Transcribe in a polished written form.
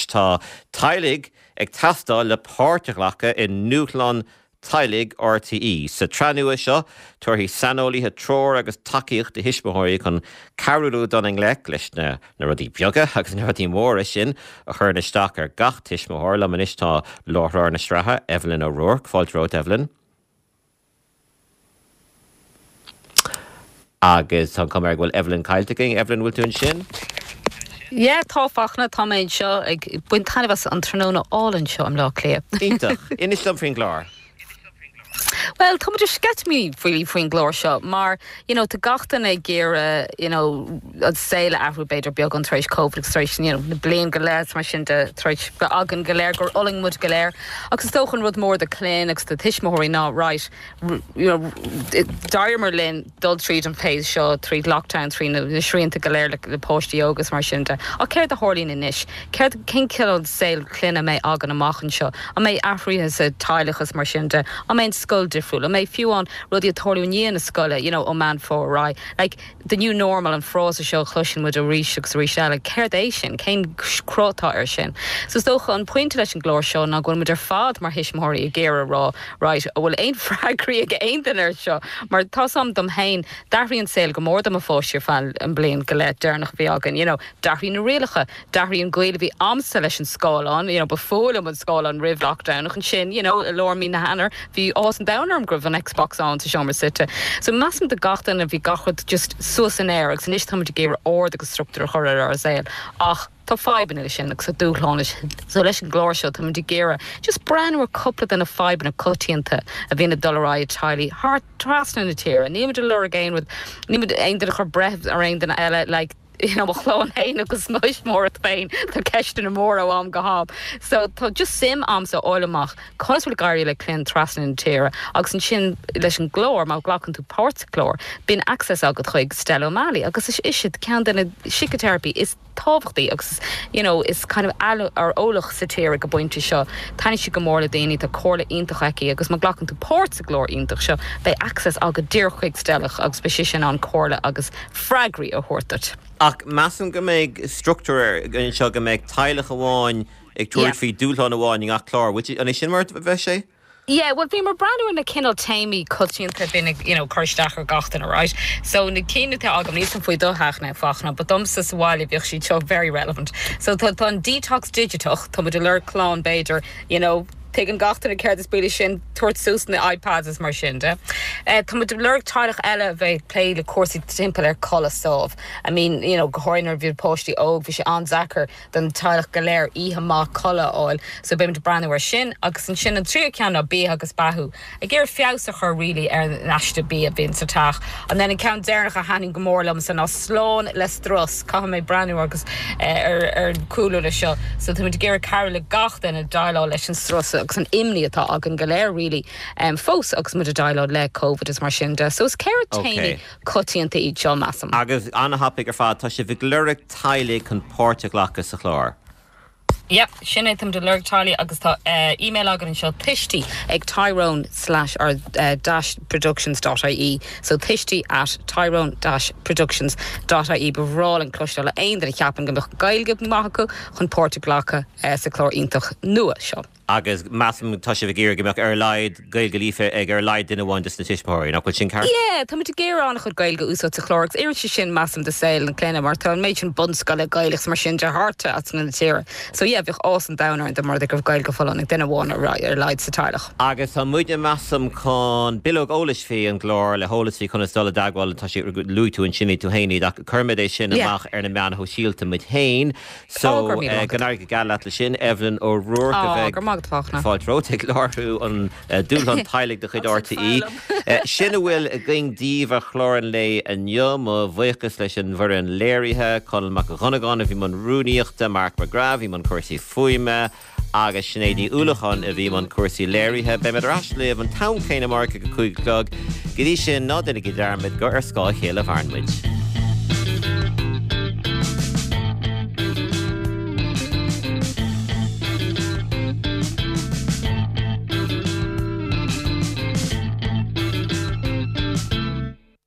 Tá teaghlaigh ag teastáil le páirt a ghlacadh i nDúshlán Teaghlaigh RTÉ. Sa tsraith nua seo, tabharfaidh saineolaithe treoir agus tacaíocht do thuismitheoirí chun cabhrú leo dul i ngleic leis na rudaí beaga agus na rudaí móra sin a chuireann isteach ar gach tuismitheoir. Liom anois tá láithreoir na sraithe, Evelyn O'Rourke. Fáilte romhat, Evelyn. Agus tá an chuma air go bhfuil Evelyn caillte againn. Evelyn, bhfuil tú ansin? Yeah, tá, Fachtna, tá mé anseo ag baint taitneamh as an tráthnóna álainn seo i mBleá Cliath. Iontach. Inis dom faoin gclár. Bhuel, tá muid ar sceitimíní faoi faoin gclár seo mar, you know, tá gach duine ag iarraidh, you know, an saol a athrú b'fhéidir beagán tar éis Covid agus tar éis, you know, na bliain go leith mar sin de tar éis bheith againn go léir gur fhulaing muid go léir. Agus is dócha an rud mór do chlann agus do tuismitheoirí ná, right, you know, d'éiríomar linn dul tríd an phase seo, tríd lockdown, trí na srianta go léir le páistí óga is mar sin de. Ach céard a tharlaíonn anois? Céard, cén cineál saol clainne a mbeidh againn amach anseo? An mbeidh athruithe sa teaghlach is mar sin de? An mbeidh an scoil difriúil? An mbeidh fiú amháin rudaí ag tarlú i ndiaidh na scoile, you know, ó Meán Fómhair ar aghaidh? Like, the new normal, an frása seo a chloiseann muid arís agus arís eile, céard é sin? Cén cruth atá air sin? So is dócha an pointe leis an gclár seo ná go bhfuil muid ar fad mar thuismitheoirí ag iarraidh a rá, right, an bhfuil aon freagraí ag aon duine ar seo? Mar tá's a'm dom féin, d'athraigh an saol go mór do mo pháistí ar feadh an bliain go leith deireanach a bhí againn, you know, d'athraigh na rialacha, D'athraigh an gaol a bhí a'msa leis an scáileán, you know, ba fuath liom an scáileán roimh lockdown ach ansin, you know, i lár mí na hEanáir, bhí áthas an domhain orm go raibh an Xbox ann sa seomra suite. So measaim do gach duine bhí gach rud just suas san aer agus anois táimid ag iarraidh ord agus struchtúr a chur ar ár saol ach tá fadhbanna leis sin agus tá dúshláin leis sin. So leis an gclár seo táimid ag iarraidh just breathnú ar cúpla de na fadhbanna coitianta a bhíonn ag dul ar aghaidh i teaghlaigh thart trasna na tíre. Nílimid ag lorg aon rud, nílimid aon duine a chur breith ar aon duine eile like, you know, mo chlann féin agus mo thuismitheoireacht féin, tá ceisteanna móra ó am go ham. So tá just suim a'msa a fháil amach conas bhfuil ag éirí le clainn trasna na tíre agus ansin leis an gclár, má ghlacann tú páirt sa chlár, bíonn access agat chuig Stella O'Malley agus is ise ceann de na síciteiripeoirí is tábhachtaí agus is, you know, is kind of ar eolach sa tír ag an bpointe seo. Taitníonn sí go mór le daoine, tá comhairle iontach aici agus má ghlacann tú páirt sa gclár iontach seo, beidh access agat díreach chuig Stella agus beidh sise in ann comhairle agus freagraí a thabhairt duit. Ach measaim go mbeidh struchtúr anseo go mbeidh teaghlach amháin ag tabhairt faoi dúshlán amháin i ngach clár. An é sin mar a bheidh sé? Yeah, bhuel bhíomar ag breathnú ar na cineál téamaí coitianta a bhíonn ag, you know, cur isteach ar gach duine, right? So na cinn atá agam, níl 's a'm faoi do theach now, Fachtna, but domsa sa bhaile bhíodh siad seo very relevant. So tá, tá an detox digiteach, tá muid ag lorg clann b'fhéidir, you know, tuigeann gach duine céard is brí leis sin, tabhairt suas na iPads is mar sin de. Tá muid ag lorg teaghlach eile a bheidh ag plé le cúrsaí timpeall ar codladh sámh. I mean, you know, go háirithe nuair a bhí páistí óg, bhí sé an-deacair don teaghlach go léir oíche maith codladh a fháil. So beidh muid ag breathnú ar sin. Agus ansin an tríú ceann ná bia agus beathú. Ag iarraidh feabhas a chur really ar an aiste bia a bhíonn sa teach. And then an ceann deireanach a thaitníonn go mór liomsa ná slán le strus. Caithfidh mé breathnú agus ar ar cúlú leis seo. So táimid ag iarraidh cabhrú le gach duine déileáil leis an strus agus an imní atá againn go léir really fós agus muid ag déileáil le Covid is mar sin de. So is 4 téamaí coitianta iad seo measaim. Agus an-thapaidh ar fad, tá sibh ag lorg teaghlaigh chun páirt a ghlacadh sa chlár. Yep, sin é, táimid ag lorg teaghlaigh agus tá email againn anseo, tuistí ag tyrone slash or dash productions dot ie, so tuistí at tyrone dash productions dot ie. Ba bhreá linn cloisteáil ó aon duine a cheapann go mbeadh Gaeilge maith acu chun páirt a ghlacadh sa chlár iontach nua seo. Agus measaim tá sibh ag iarraidh go mbeadh ar a laghad Gaeilge líofa ag ar a laghad duine amháin des na tuismitheoirí, nach bhfuil sin ceart? Yeah, tá muid ag iarraidh an-chuid Gaeilge a úsáid sa chlár agus oireann sé sin measaim do saol na clainne mar tá an méid sin bunscoile Gaelach is mar sin de thart trasna na tíre. So yeah, bheadh áthas an domhain orainn dá mba rud é go raibh Gaeilge folláin ag duine amháin ar a laghad sa teaghlach. Agus tá muidne measaim chun bileog eolais faoi an gclár le heolas faoi conas dul i dteagmháil, tá sé, luaigh tú ansin iad tú féin iad ach cuirfimid é sin amach ar na meáin shóisialta muid féin. So, go n-éirí go geal leat leis sin, Evelyn O'Rourke a bheidh fáilte romhat ag láithriú an Dúshlán Teaghlaigh de chuid RTÉ. Sin a bhfuil againn daoibh ar chlár an lae inniu. Mo bhuíochas leis an bhfoireann léirithe, Conall Mac Dhonnagáin a bhí i mbun rúnaíochta, Mark McGrath a bhí i mbun cúrsaí fuaime agus Sinéad Ní Uallacháin a bhí i mbun cúrsaí léirithe. Beidh muid ar ais libh an t-am céanna amárach ag a 5 a chlog. Go dtí sin, ná déanaigí dearmad gur ar scáth a chéile a mhaireann muid.